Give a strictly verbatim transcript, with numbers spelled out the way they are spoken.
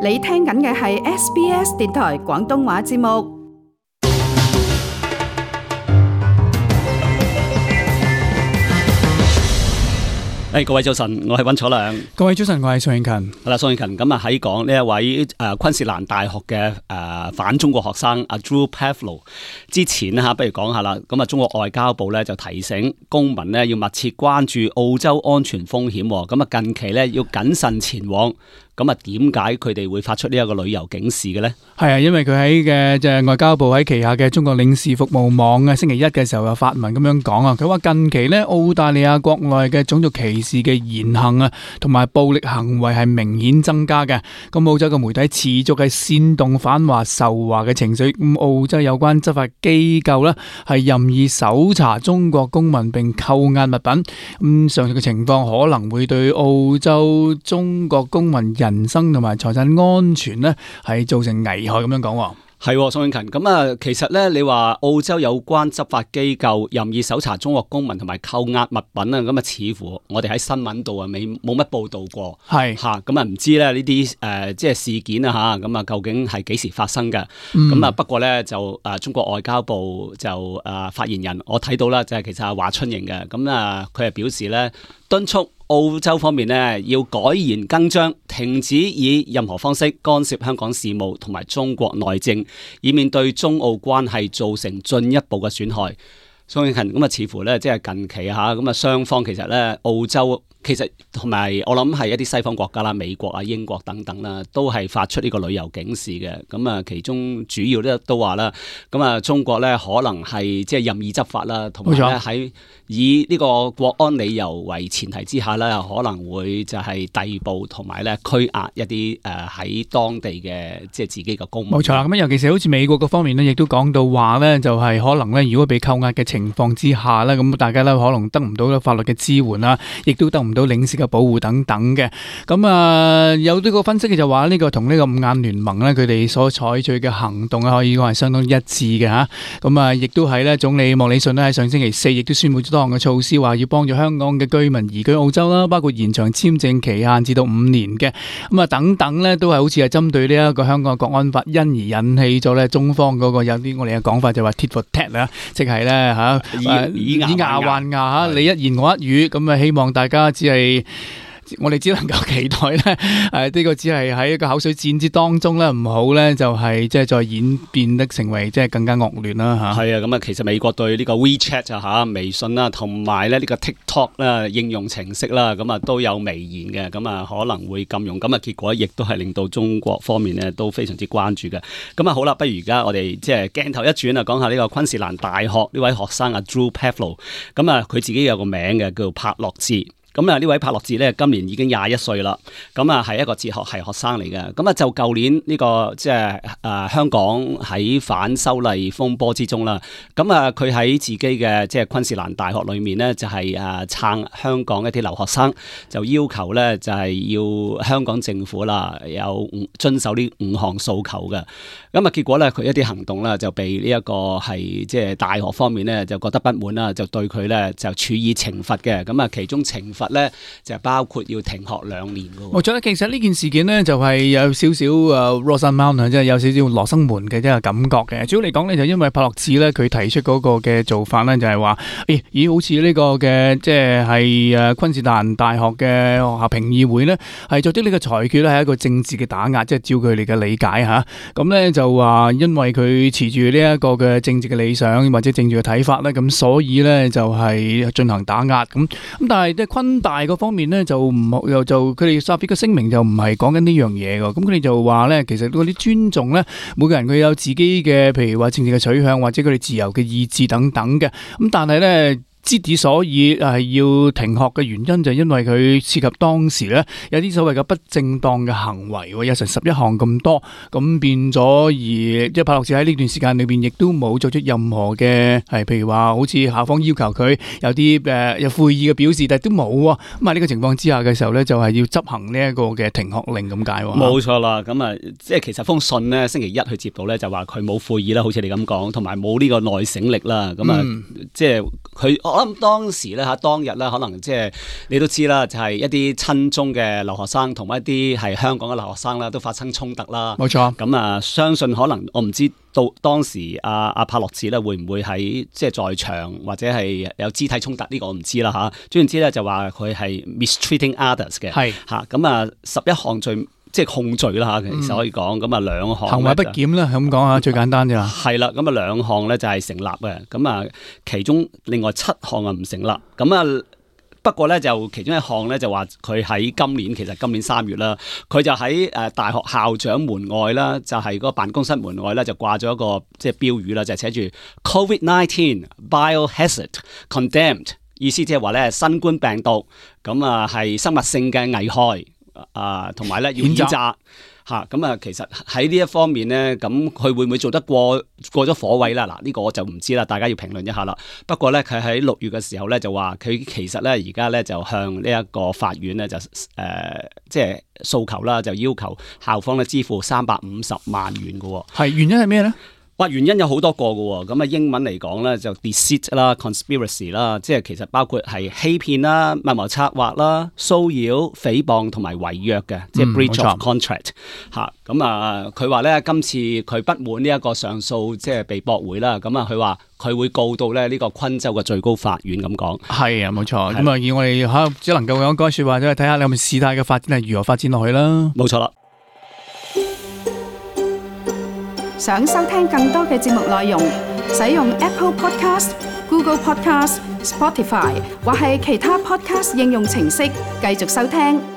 你聽緊嘅係 S B S 電台廣東話節目。誒、hey, 各位早晨，我係溫楚良。各位早晨，我係宋慶勤。係啦，宋慶勤咁啊喺講呢一位誒、呃、昆士蘭大學嘅誒、呃、反中國學生阿 Drew Pavlou 之前嚇，不如講下啦。咁啊，中國外交部咧就提醒公民咧要密切關注澳洲安全風險。咁啊，近期咧要謹慎前往。咁啊，點解佢哋會發出呢一個旅遊警示嘅呢？係啊，因為佢喺嘅即係外交部喺旗下嘅中國領事服務網啊，星期一嘅時候又發文咁樣講啊。佢話近期呢，澳大利亞國內嘅種族歧視嘅言行啊，同埋暴力行為係明顯增加嘅。咁澳洲嘅媒體持續係煽動反華仇華嘅情緒。咁澳洲有關執法機構呢，係任意搜查中國公民並扣押物品。咁上述嘅情況可能會對澳洲中國公民人生同埋財產安全呢係造成危害咁樣講。係，宋慶勤咁啊，其實咧，你話澳洲有關執法機構任意搜查中國公民同埋扣押物品啊，咁啊，似乎我哋喺新聞度啊，未冇乜報道過。係吓，咁啊，唔知咧呢啲誒，即係事件啊吓，咁啊，究竟係幾時發生嘅？咁、嗯、啊，不過咧就誒、呃，中國外交部就誒、呃、發言人，我睇到啦，就係其實係華春瑩嘅，咁啊，佢係表示咧，敦促澳洲方面呢要改弦更張，停止以任何方式干涉香港事務同埋中國內政，以免對中澳關係造成進一步嘅損害。宋慶勤咁啊，似乎咧即係近期嚇咁啊，雙方其實咧澳洲其實同埋我諗係一啲西方國家啦，美國啊、英國等等啦，都係發出呢個旅遊警示嘅。咁啊，其中主要咧都話啦，咁啊中國咧可能係即係任意執法啦，同埋咧喺以呢個國安理由為前提之下咧，可能會就係逮捕同埋咧拘押一啲誒喺當地嘅即係自己嘅公民。冇錯啦，咁尤其是好似美國嗰方面咧，亦都講到話咧，就係可能咧，如果被扣押嘅情況之下咧，咁大家咧可能得唔到法律嘅支援啦，亦都得唔到領事嘅保護等等嘅。咁啊，有呢個分析嘅就話呢個同呢個五眼聯盟咧，佢哋所採取嘅行動咧，可以講係相當一致嘅吓。咁啊，亦都係咧，總理莫里遜咧喺上星期四亦都宣布咗多項嘅措施，話要幫助香港嘅居民移居澳洲啦，包括延長簽證期限至到五年嘅。咁啊，等等咧，都係好似係針對呢一個香港嘅國安法，因而引起咗咧中方嗰個有啲我哋嘅講法就話 tit for tat 啦，即係咧吓以以牙還牙吓，你一言我一語，咁啊希望大家只係。我哋只能夠期待咧，誒、呃，呢、這個只係喺一個口水戰之當中咧，唔好咧就係即係再演變得成為即係更加惡劣啦吓。係啊，咁啊，其實美國對呢個 WeChat 啊吓、微信啦，同埋咧呢個 TikTok 啦應用程式啦，咁啊都有微言嘅，咁啊可能會禁用，咁啊結果亦都係令到中國方面咧都非常之關注嘅。咁啊好啦，不如而家我哋即係鏡頭一轉啊，講下呢個昆士蘭大學呢位學生啊 Drew Pavlou，咁啊佢自己有個名嘅叫做柏洛治。咁啊，呢位柏洛治咧，今年已經廿一歲啦。咁啊，係一個哲學系學生嚟嘅。咁啊，就舊年呢、這個即係誒香港喺反修例風波之中啦。咁啊，佢喺自己嘅即係昆士蘭大學裏面咧，就係誒撐香港一啲留學生，就要求咧就係要香港政府啦有遵守呢五項訴求嘅。咁啊，結果咧佢一啲行動咧就被呢一個係即係大學方面咧就覺得不滿啦，就對佢咧就處以懲罰嘅。咁啊，其中懲罰咧就包括要停學兩年嘅。我覺得其實呢件事件呢，就係有少少誒 Rosamount 即係有少少羅生門嘅一個感覺嘅。主要嚟講呢，就因為柏洛治咧佢提出嗰個嘅做法呢，就係話誒咦好似呢個嘅即係係誒昆士蘭大學嘅學校評議會呢，係作出呢個裁決咧係一個政治嘅打壓，即係照佢哋嘅理解吓。咁呢就話因為佢持住呢一個嘅政治嘅理想或者政治嘅睇法呢，咁所以呢就係進行打壓咁。咁但係即係昆大嗰方面呢，就唔又就佢哋發表嘅聲明就唔係講緊呢樣嘢㗎。咁佢哋就話呢，其實嗰啲尊重呢，每個人佢有自己嘅，譬如話政治嘅取向或者佢哋自由嘅意志等等嘅。咁但係呢。之所以係要停學嘅原因就係因為佢涉及當時咧有啲所謂嘅不正當嘅行為，有成十一項咁多，咁變咗而即係柏洛治喺呢段時間裏邊亦都冇作出任何嘅係，譬如話好似校方要求佢有啲誒有悔意嘅表示，但係都冇喎。咁啊呢個情況之下嘅時候咧，就係要執行呢一個嘅停學令咁解喎。冇錯啦，咁啊即係其實封信咧星期一去接到咧就話佢冇悔意啦，好似你咁講，同埋冇呢個內省力啦。咁啊、嗯、即係佢。我諗當時咧嚇，當日咧可能即係你都知啦，就係一啲親中嘅留學生同埋一啲係香港嘅留學生啦，都發生衝突啦。冇錯。咁啊，相信可能我唔知到當時阿阿帕洛茨咧會唔會喺即係在場或者係有肢體衝突呢、呢個我唔知啦嚇。總之咧就話佢係 mistreating others 嘅。係嚇咁啊，十一項罪。即係控罪啦嚇，其實可以講咁啊兩項行為不檢啦，咁講下最簡單啫嘛。係啦，咁啊兩項咧就係成立嘅，咁啊其中另外七項啊唔成立，咁啊不過咧就其中一項咧就話佢喺今年其實今年三月啦，佢就喺誒大學校長門外啦，就係、是、嗰個辦公室門外咧就掛咗一個即係標語啦，就係、是、寫住 Covid nineteen Biohazard Condemned， 意思即係話咧新冠病毒咁啊係生物性嘅危害。啊，同埋咧要譴責嚇，咁啊，其實喺呢一方面咧，咁佢會唔會做得過過咗火位啦？嗱，呢個我就唔知啦，大家要評論一下啦。不過咧，佢喺六月嘅時候咧就話，佢其實咧而家咧就向呢一個法院咧就誒、呃，即係訴求啦，就要求校方咧支付三百五十萬元嘅喎。係，原因係咩咧？哇，原因有好多個嘅喎，咁啊英文嚟講咧就 deceit 啦、conspiracy 啦，即係其實包括係欺騙啦、密謀策劃啦、騷擾、誹謗同埋違約嘅，即係 breach of contract 嚇。咁啊，佢話咧今次佢不滿呢一個上訴即係被駁回啦，咁啊佢話佢會告到咧呢個昆州嘅最高法院咁講。係啊，冇錯。咁啊，以我哋嚇只能夠講嗰句説話，即係睇下你有冇事態嘅發展係如何發展落去啦。冇錯啦。想收聽更多嘅節目內容，使用 Apple Podcast、Google Podcast、Spotify 或係其他 Podcast 應用程式繼續收聽。